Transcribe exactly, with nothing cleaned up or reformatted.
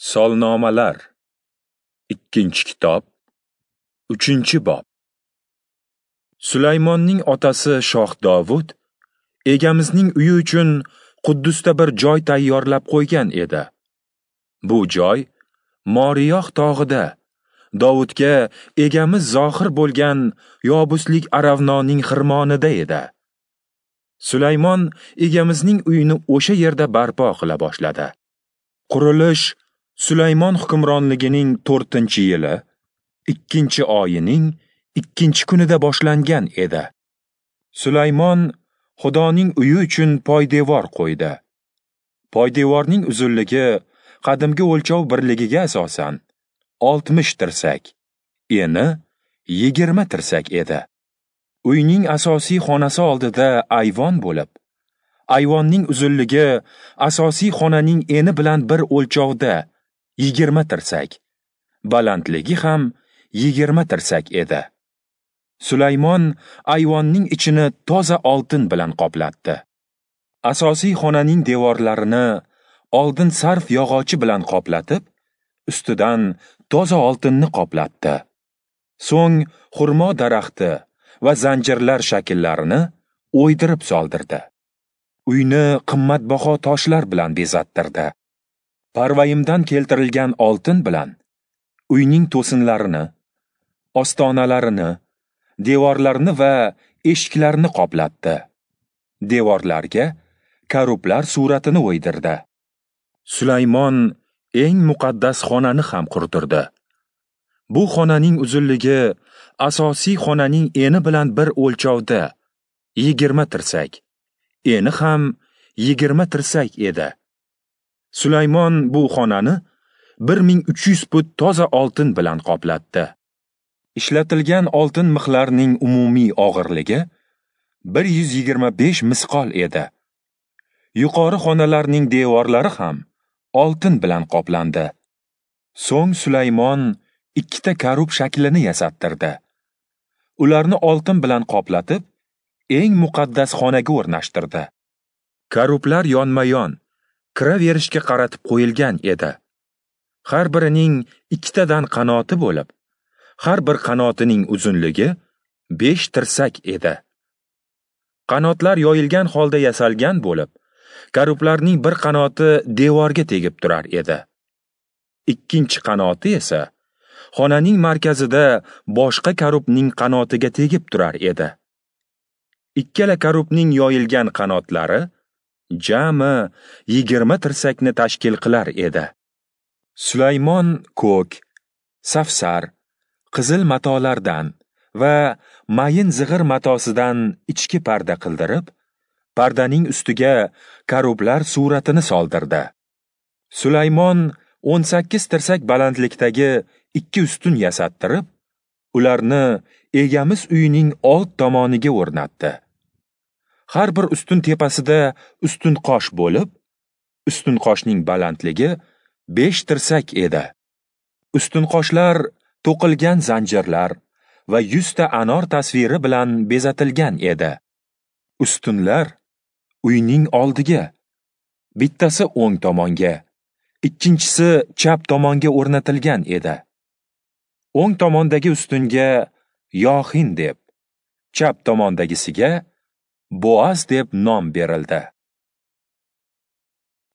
Solnomalar, ikkinchi kitob, uchinchi bob. Sulaymonning otasi shoh Dovud egamizning uyi uchun Quddusda bir joy tayyorlab qo'ygan edi. Bu joy Moriyoh tog'ida Dovudga egamiz zohir bo'lgan Yobuslik Aravnoning xirmonida edi. Sulaymon egamizning uyini o'sha yerda barpo qila boshladi. Qurilish Sulaymon hukmronligining to'rtinchi yili, ikkinchi oyining ikkinchi kunida boshlangan edi. Sulaymon Xudoning uyi uchun poydevor qo'ydi. Poydevorning uzunligi qadimgi o'lchov birligiga asosan oltmish tirsak, eni yigirma tirsak edi. Uyning asosiy xonasi oldida ayvon bo'lib, ayvonning uzunligi asosiy xonaning eni bilan bir o'lchovda yigirma tirsak, balandligi ham yigirma tirsak edi. Sulaymon ayvonning ichini toza oltin bilan qoplatdi. Asosiy xonaning devorlarini oldin sarf yog'ochi bilan qoplatib, ustidan toza oltinni qoplatdi. So'ng xurmo daraxti va zanjirlar shakllarini o'ydirib soldirdi. Uyni qimmatbaho toshlar bilan bezattirdi. Parvayimdan keltirilgan oltin bilan uyning to'sinlarini, ostonalarini, devorlarni va eshiklarni qoplatdi. Devorlarga karublar suratini o'ydirdi. Sulaymon eng muqaddas xonani ham qurdirdi. Bu xonaning uzunligi asosiy xonaning eni bilan bir o'lchovda yigirma tirsak, eni ham yigirma tirsak edi. Sulaymon bu xonani bir ming uch yuz put toza oltin bilan qoplatdi. Ishlatilgan oltin mixlarning umumiy og'irligi bir yuz yigirma besh misqol edi. Yuqori xonalarning devorlari ham oltin bilan qoplandi. So'ng Sulaymon ikkita karub shaklini yasattirdi. Ularni oltin bilan qoplatib, eng muqaddas xonaga o'rnashtirdi. Karublar yonma-yon kiraverishga qaratib qo'yilgan edi. Har birining ikkitadan qanoti bo'lib, har bir qanotining uzunligi besh tirsak edi. Qanotlar yoyilgan holda yasalgan bo'lib, karublarning bir qanoti devorga tegib turar edi. Ikkinchi qanoti esa xonaning markazida boshqa karubning qanotiga tegib turar edi. Ikkala karubning yoyilgan qanotlari jami yigirma tirsakni tashkil qilar edi. Sulaymon ko'k, safsar, qizil matolardan va mayin zig'ir matosidan ichki parda qildirib, pardaning ustiga karublar suratini soldirdi. Sulaymon o'n sakkiz tirsak balandlikdagi ikki ustun yasattirib, ularni egamiz uyining old tomoniga o'rnatdi. Har bir ustun tepasida ustun qosh bo'lib, ustun qoshning balandligi besh tirsak edi. Ustun qoshlar to'qilgan zanjirlar va yuzta anor tasviri bilan bezatilgan edi. Ustunlar uyning oldiga, bittasi o'ng tomonga, ikkinchisi chap tomonga o'rnatilgan edi. O'ng tomondagi ustunga Yohin deb, chap tomondagisiga Boaz deb nom berildi.